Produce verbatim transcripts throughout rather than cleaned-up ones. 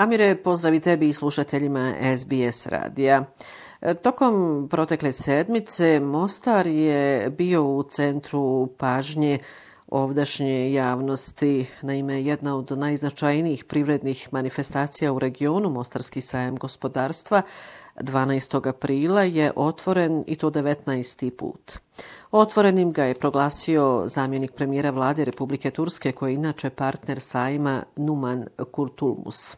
Amire, pozdrav i tebi i slušateljima S B S radija. Tokom protekle sedmice Mostar je bio u centru pažnje ovdašnje javnosti. Naime, jedna od najznačajnijih privrednih manifestacija u regionu, Mostarski sajam gospodarstva, dvanaestog aprila je otvoren i to devetnaesti put. Otvorenim ga je proglasio zamjenik premijera vlade Republike Turske, koji je inače partner sajma, Numan Kurtulmus.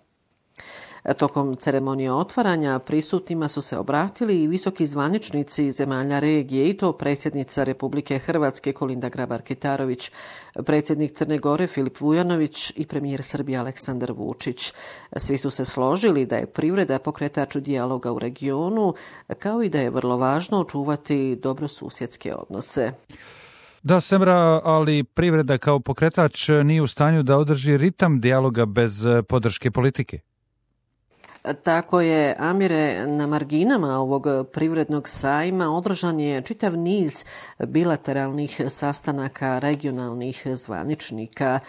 Tokom ceremonije otvaranja prisutnima su se obratili i visoki zvaničnici zemalja regije, i to predsjednica Republike Hrvatske Kolinda Grabar-Kitarović, predsjednik Crne Gore Filip Vujanović i premijer Srbije Aleksandar Vučić. Svi su se složili da je privreda pokretač dijaloga u regionu, kao i da je vrlo važno očuvati dobrosusjedske odnose. Da, Semra, ali privreda kao pokretač nije u stanju da održi ritam dijaloga bez podrške politike. Tako je, Amire, na marginama ovog privrednog sajma održan je čitav niz bilateralnih sastanaka regionalnih zvaničnika.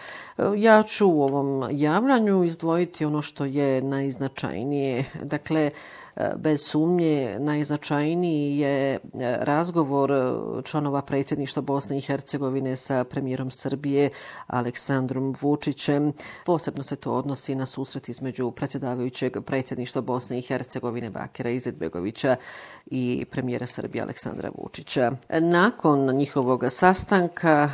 Ja ću u ovom javljanju izdvojiti ono što je najznačajnije. Dakle, bez sumnje najznačajniji je razgovor članova predsjedništva Bosne i Hercegovine sa premijerom Srbije Aleksandrom Vučićem. Posebno se to odnosi na susret između predsjedavajućeg predsjedništva Bosne i Hercegovine Bakira Izetbegovića i premijera Srbije Aleksandra Vučića. Nakon njihovog sastanka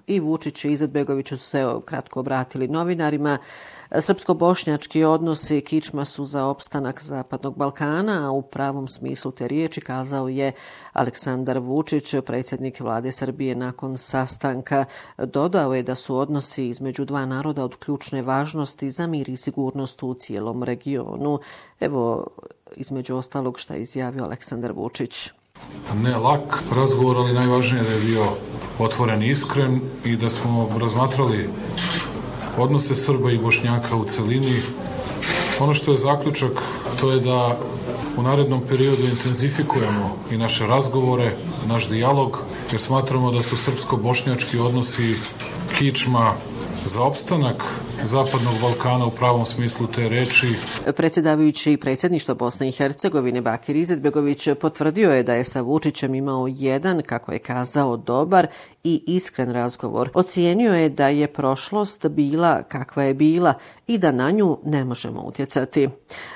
i Vučić i Izetbegović su se kratko obratili novinarima. Srpsko-bošnjački odnosi kičma su za opstanak Zapadnog Balkana, a u pravom smislu te riječi, kazao je Aleksandar Vučić, predsjednik vlade Srbije nakon sastanka. Dodao je da su odnosi između dva naroda od ključne važnosti za mir i sigurnost u cijelom regionu. Evo, između ostalog, šta je izjavio Aleksandar Vučić. Ne lak razgovor, ali najvažnije da je bio otvoren i iskren i da smo razmatrali odnose Srba i Bošnjaka u celini. Ono što je zaključak, to je da u narednom periodu intenzifikujemo i naše razgovore, naš dijalog, jer smatramo da su srpsko-bošnjački odnosi kičma za opstanak Zapadnog Balkana u pravom smislu te reči. Predsjedavajući predsjedništva Bosne i Hercegovine Bakir Izetbegović potvrdio je da je sa Vučićem imao jedan, kako je kazao, dobar i iskren razgovor. Ocijenio je da je prošlost bila kakva je bila i da na nju ne možemo utjecati.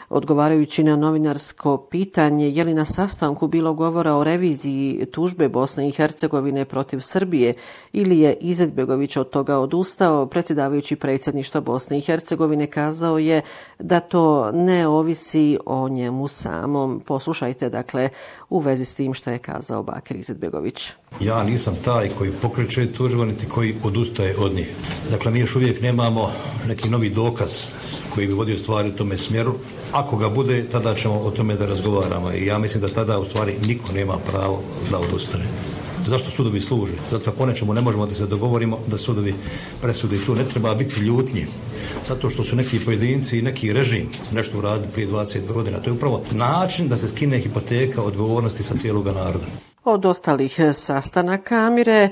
Odgovarajući na novinarsko pitanje je li na sastanku bilo govora o reviziji tužbe Bosne i Hercegovine protiv Srbije ili je Izetbegović od toga odustao, predsjedavajući predsjedništva Bosne i Hercegovine kazao je da to ne ovisi o njemu samom. Poslušajte, dakle, u vezi s tim što je kazao Bakir Izetbegović. Ja nisam taj koji pokreće tužbu, niti koji odustaje od njih. Dakle, mi još uvijek nemamo neki novi dokaz koji bi vodio stvari u tome smjeru. Ako ga bude, tada ćemo o tome da razgovaramo. I ja mislim da tada u stvari niko nema pravo da odustane. Zašto sudovi služe? Zato po nečemu ne možemo da se dogovorimo da sudovi presude. Tu ne treba biti ljutnji. Zato što su neki pojedinci i neki režim nešto uradili prije dvadeset godina. To je upravo način da se skine hipoteka odgovornosti sa cijelog naroda. Od ostalih sastanaka, Amire, e,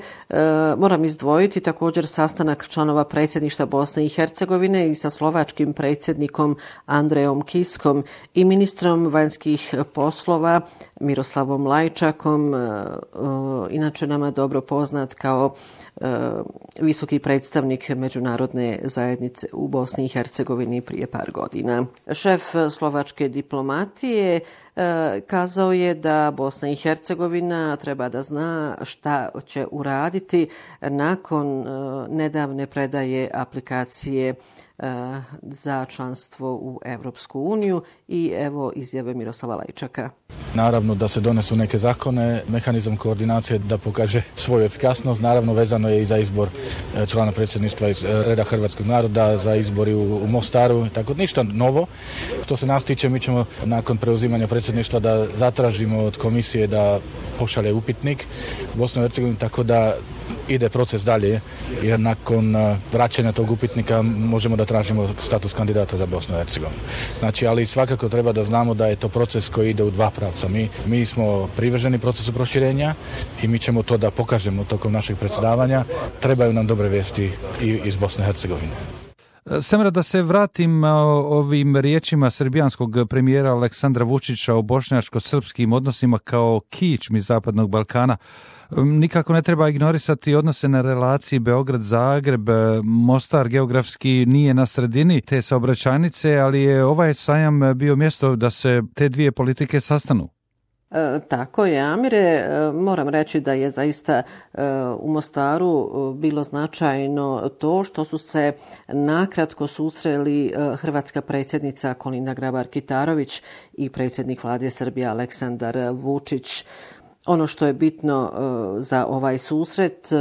moram izdvojiti također sastanak članova predsjedništva Bosne i Hercegovine i sa slovačkim predsjednikom Andrejom Kiskom i ministrom vanjskih poslova Miroslavom Lajčakom, e, e, inače nama dobro poznat kao e, visoki predstavnik međunarodne zajednice u Bosni i Hercegovini prije par godina. Šef slovačke diplomatije e, kazao je da Bosna i Hercegovina treba da zna šta će uraditi nakon e, nedavne predaje aplikacije e, za članstvo u Evropsku uniju i evo izjave Miroslava Lajčaka. Naravno da se donesu neke zakone, mehanizam koordinacije da pokaže svoju efikasnost, naravno vezano je i za izbor člana predsjedništva iz reda hrvatskog naroda, za izbori u, u Mostaru, tako ništa novo. Što se nas tiče, mi ćemo nakon preuzimanja predsjedništva da zatražimo od komisije da pošalje upitnik Bosnu i Hercegovinu, tako da ide proces dalje, jer nakon vraćanja tog upitnika možemo da tražimo status kandidata za Bosnu i Hercegovinu. Znači, ali svakako treba da znamo da je to proces koji ide u dva pravca. Mi, mi smo privrženi procesu proširenja i mi ćemo to da pokažemo tokom našeg predsjedavanja. Trebaju nam dobre vesti i iz Bosne i Hercegovine. Semra, da se vratim ovim riječima srbijanskog premijera Aleksandra Vučića o bošnjačko-srpskim odnosima kao kičmi Zapadnog Balkana. Nikako ne treba ignorisati odnose na relaciji Beograd-Zagreb. Mostar geografski nije na sredini te saobraćajnice, ali je ovaj sajam bio mjesto da se te dvije politike sastanu. E, tako je, Amire. E, moram reći da je zaista e, u Mostaru bilo značajno to što su se nakratko susreli e, hrvatska predsjednica Kolinda Grabar-Kitarović i predsjednik vlade Srbije Aleksandar Vučić. Ono što je bitno e, za ovaj susret, e,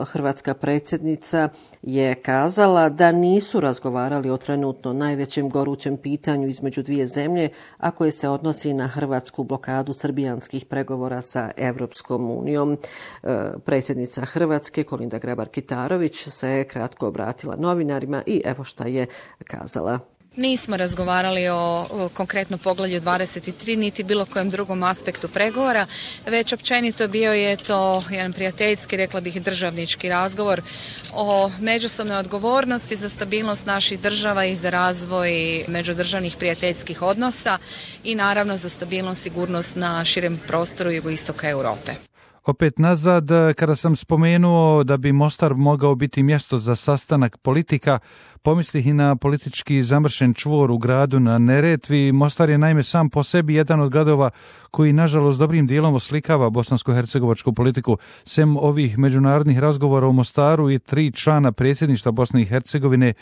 hrvatska predsjednica je kazala da nisu razgovarali o trenutno najvećem gorućem pitanju između dvije zemlje, a koje se odnosi na hrvatsku blokadu srbijanskih pregovora sa Evropskom unijom. E, predsjednica Hrvatske Kolinda Grabar-Kitarović se kratko obratila novinarima i evo šta je kazala. Nismo razgovarali o, o konkretno poglavlju dvadeset tri niti bilo kojem drugom aspektu pregovora, već općenito bio je to jedan prijateljski, rekla bih državnički razgovor o međusobnoj odgovornosti za stabilnost naših država i za razvoj međudržavnih prijateljskih odnosa i naravno za stabilnost i sigurnost na širem prostoru jugoistoka Europe. Opet nazad, kada sam spomenuo da bi Mostar mogao biti mjesto za sastanak politika, pomislih i na politički zamršen čvor u gradu na Neretvi. Mostar je naime sam po sebi jedan od gradova koji nažalost dobrim dijelom oslikava bosansko-hercegovačku politiku. Sem ovih međunarodnih razgovora u Mostaru i tri člana predsjedništva Bosne i Hercegovine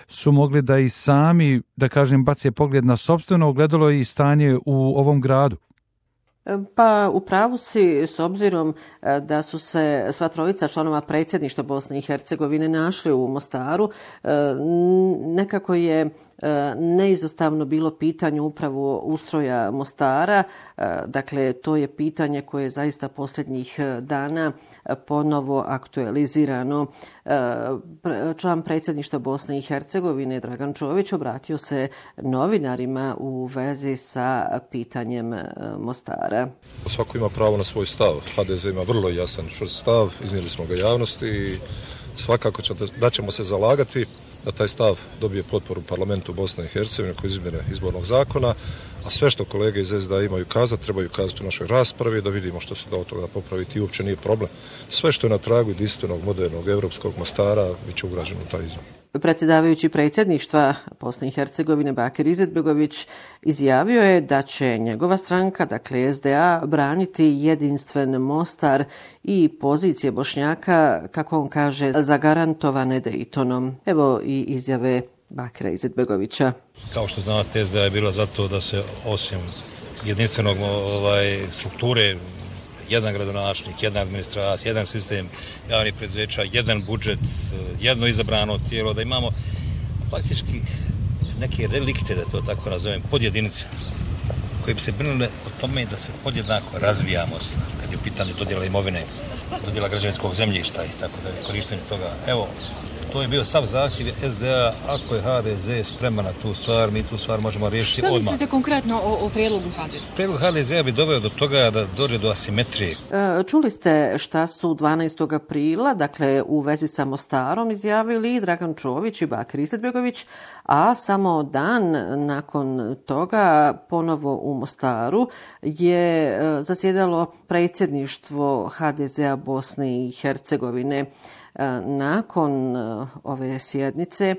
su mogli da i sami, da kažem, bace pogled na sopstveno ogledalo i stanje u ovom gradu. Pa u pravu si, s obzirom da su se sva trojica članova predsjedništva Bosne i Hercegovine našli u Mostaru, nekako je neizostavno bilo pitanje upravo ustroja Mostara. Dakle, to je pitanje koje je zaista posljednjih dana ponovo aktualizirano. Član predsjedništva Bosne i Hercegovine Dragan Čović obratio se novinarima u vezi sa pitanjem Mostara. Svako ima pravo na svoj stav. H D Z ima vrlo jasan čvrst stav, iznijeli smo ga javnosti i svakako da ćemo se zalagati da taj stav dobije potporu parlamentu Bosne i Hercegovine koji izmjene izbornog zakona, a sve što kolege iz S D A imaju kazati, trebaju kazati u našoj raspravi, da vidimo što se da od toga popraviti i uopće nije problem. Sve što je na tragu jedinstvenog, modernog, europskog Mostara bit će ugrađeno u taj izbor. Predsjedavajući predsjedništva Bosne i Hercegovine Bakir Izetbegović izjavio je da će njegova stranka, dakle S D A, braniti jedinstven Mostar i pozicije Bošnjaka, kako on kaže, zagarantovane Dejtonom. Evo i izjave Bakira Izetbegovića. Kao što znate, S D A je bila zato da se osim jedinstvenog ovaj, strukture, jedan gradonačelnik, jedna administracija, jedan sistem javnih preduzeća, jedan budžet, jedno izabrano tijelo, da imamo faktički neke relikte, da to tako nazovem, podjedinice, koje bi se brinule o tome da se podjednako razvijamo kad je u pitanju dodjela imovine, dodjela građevinskog zemljišta i tako da je korištenje toga. Evo, to je bio sav zahtjev S D A, ako je H D Z spreman na tu stvar, mi tu stvar možemo riješiti odmah. Što mislite konkretno o, o prijedlogu H D Z? Prijedlog H D Z bi doveo do toga da dođe do asimetrije. E, čuli ste šta su dvanaestog aprila, dakle u vezi sa Mostarom, izjavili Dragan Čović i Bakir Izetbegović, a samo dan nakon toga ponovo u Mostaru je zasjedalo predsjedništvo H D Z-a Bosne i Hercegovine. Nakon ove sjednice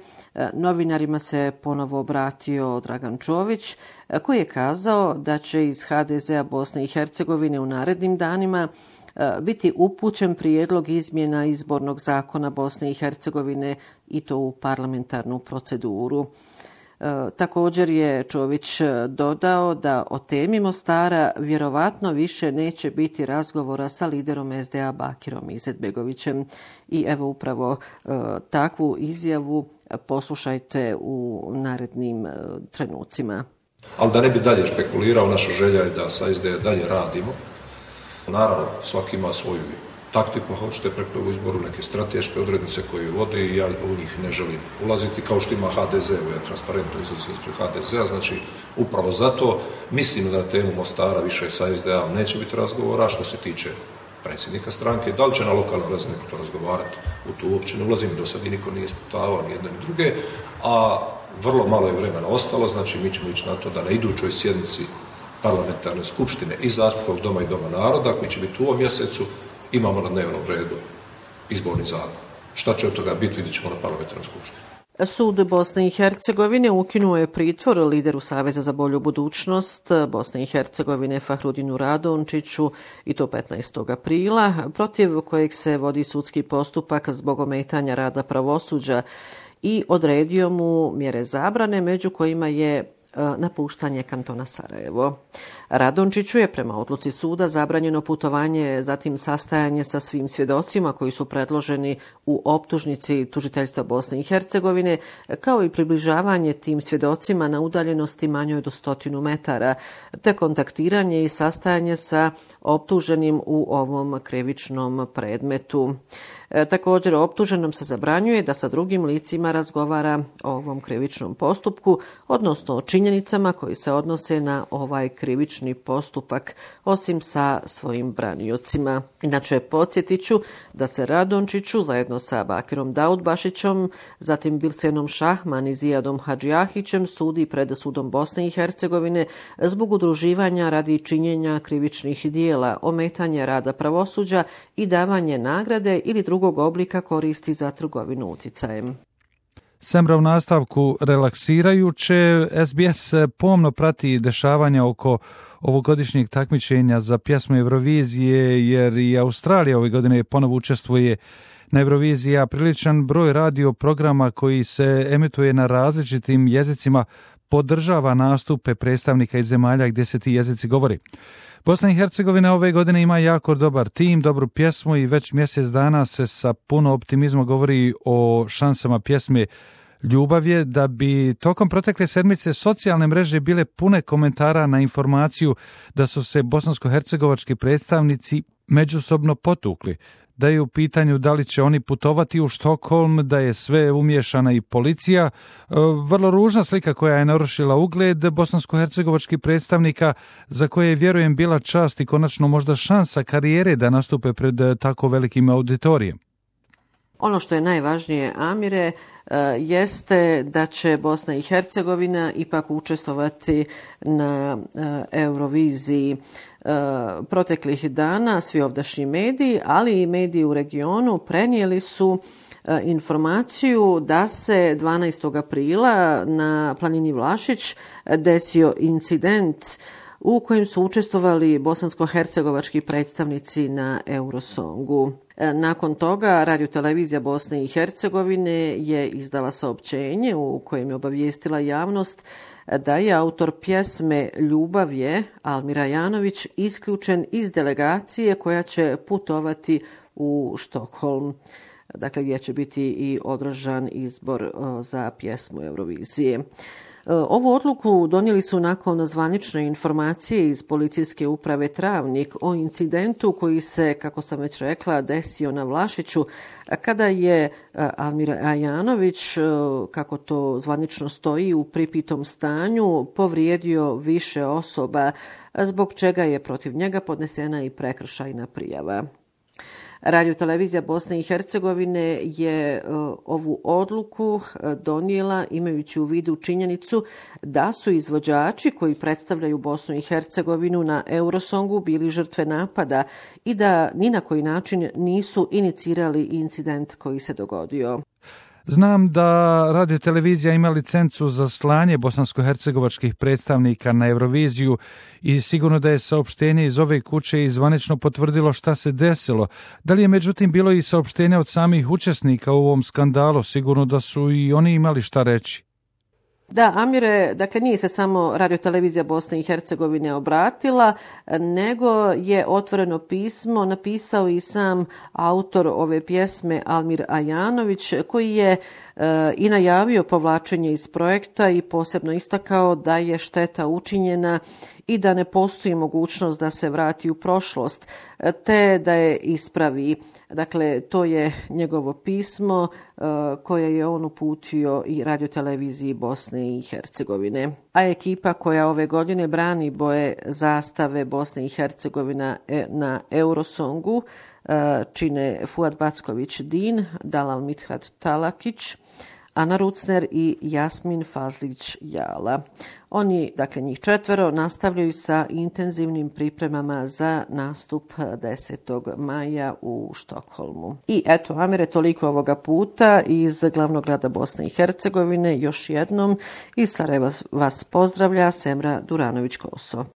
novinarima se ponovo obratio Dragan Čović, koji je kazao da će iz H D Z-a Bosne i Hercegovine u narednim danima biti upućen prijedlog izmjena izbornog zakona Bosne i Hercegovine i to u parlamentarnu proceduru. Također je Čović dodao da o temi Mostara vjerovatno više neće biti razgovora sa liderom S D A Bakirom Izetbegovićem. I evo upravo uh, takvu izjavu poslušajte u narednim uh, trenucima. Ali da ne bi dalje špekulirao, naša želja je da sa S D A dalje radimo. Naravno, svaki ima svoju taktiku, hoćete preko izboru neke strateške odrednice koje vodi i ja u njih ne želim ulaziti, kao što ima H D Z, ovo je transparentno izlazi ispred H D Z-a, znači upravo zato mislim da na temu Mostara više sa S D A neće biti razgovora. Što se tiče predsjednika stranke, da li će na lokalnoj razini to razgovarati, u to uopće ne ulazim, do sad i niko nije ispitavao ni jedne ni druge, a vrlo malo je vremena ostalo, znači mi ćemo ići na to da na idućoj sjednici parlamentarne skupštine i Zastupničkog doma i Doma naroda, koji će biti u ovom mjesecu, imamo na dnevnom redu izborni zakon. Šta će od toga biti, vidjet ćemo na parlamentarnoj skupštini. Sud Bosne i Hercegovine ukinuo je pritvor lideru Saveza za bolju budućnost Bosne i Hercegovine Fahrudinu Radončiću i to petnaestog aprila, protiv kojeg se vodi sudski postupak zbog ometanja rada pravosuđa i odredio mu mjere zabrane, među kojima je napuštanje kantona Sarajevo. Radončiću je prema odluci suda zabranjeno putovanje, zatim sastajanje sa svim svjedocima koji su predloženi u optužnici tužiteljstva Bosne i Hercegovine, kao i približavanje tim svjedocima na udaljenosti manjoj do stotinu metara, te kontaktiranje i sastajanje sa optuženim u ovom krivičnom predmetu. E, također optuženom se zabranjuje da sa drugim licima razgovara o ovom krivičnom postupku, odnosno o činjenicama koji se odnose na ovaj krivični postupak, osim sa svojim braniocima. Inače, podsjetit ću da se Radončiću zajedno sa Bakirom Daudbašićom, zatim Bilsenom Šahman i Zijadom Hadžijahićem sudi pred sudom Bosne i Hercegovine zbog udruživanja radi činjenja krivičnih dijela, ometanja rada pravosuđa i davanje nagrade ili drugog oblika koristi za trgovinu uticajem. Semra u nastavku relaksirajuće. S B S pomno prati dešavanja oko ovogodišnjeg takmičenja za pjesmu Eurovizije, jer i Australija ove godine ponovo učestvuje na Euroviziji, a priličan broj radio programa koji se emituje na različitim jezicima podržava nastupe predstavnika iz zemalja gdje se ti jezici govori. Bosna i Hercegovina ove godine ima jako dobar tim, dobru pjesmu i već mjesec dana se sa puno optimizma govori o šansama pjesme Ljubav je, da bi tokom protekle sedmice socijalne mreže bile pune komentara na informaciju da su se bosansko-hercegovački predstavnici međusobno potukli, da je u pitanju da li će oni putovati u Štokholm, da je sve umiješana i policija. Vrlo ružna slika koja je narušila ugled bosansko-hercegovačkih predstavnika, za koje je, vjerujem, bila čast i konačno možda šansa karijere da nastupe pred tako velikim auditorijem. Ono što je najvažnije, Amire, jeste da će Bosna i Hercegovina ipak učestvovati na Euroviziji. Proteklih dana svi ovdašnji mediji, ali i mediji u regionu prenijeli su informaciju da se dvanaestog aprila na planini Vlašić desio incident u kojem su učestvovali bosansko-hercegovački predstavnici na Eurosongu. Nakon toga Radiotelevizija Bosne i Hercegovine je izdala saopćenje u kojem je obavijestila javnost da je autor pjesme Ljubav je, Almir Ajanović, isključen iz delegacije koja će putovati u Štokholm, dakle gdje će biti i održan izbor za pjesmu Eurovizije. Ovu odluku donijeli su nakon zvanične informacije iz policijske uprave Travnik o incidentu koji se, kako sam već rekla, desio na Vlašiću, kada je Almir Ajanović, kako to zvanično stoji, u pripitom stanju povrijedio više osoba, zbog čega je protiv njega podnesena i prekršajna prijava. Radiotelevizija Bosne i Hercegovine je ovu odluku donijela imajući u vidu činjenicu da su izvođači koji predstavljaju Bosnu i Hercegovinu na Eurosongu bili žrtve napada i da ni na koji način nisu inicirali incident koji se dogodio. Znam da radiotelevizija ima licencu za slanje bosansko-hercegovačkih predstavnika na Euroviziju i sigurno da je saopštenje iz ove kuće i zvanično potvrdilo šta se desilo. Da li je međutim bilo i saopštenja od samih učesnika u ovom skandalu? Sigurno da su i oni imali šta reći. Da, Amire, dakle nije se samo Radiotelevizija Bosne i Hercegovine obratila, nego je otvoreno pismo napisao i sam autor ove pjesme Almir Ajanović, koji je e, i najavio povlačenje iz projekta i posebno istakao da je šteta učinjena i da ne postoji mogućnost da se vrati u prošlost, te da je ispravi. Dakle, to je njegovo pismo koje je on uputio i radioteleviziji Bosne i Hercegovine. A ekipa koja ove godine brani boje zastave Bosne i Hercegovina na Eurosongu čine Fuad Backović-Din, Dalal Mithat Talakić, Ana Rucner i Jasmin Fazlić-Jala. Oni, dakle njih četvero, nastavljaju sa intenzivnim pripremama za nastup desetog maja u Štokholmu. I eto, Amire, toliko ovoga puta iz glavnog grada Bosne i Hercegovine. Još jednom iz Sarajeva vas pozdravlja Semra Duranović-Koso.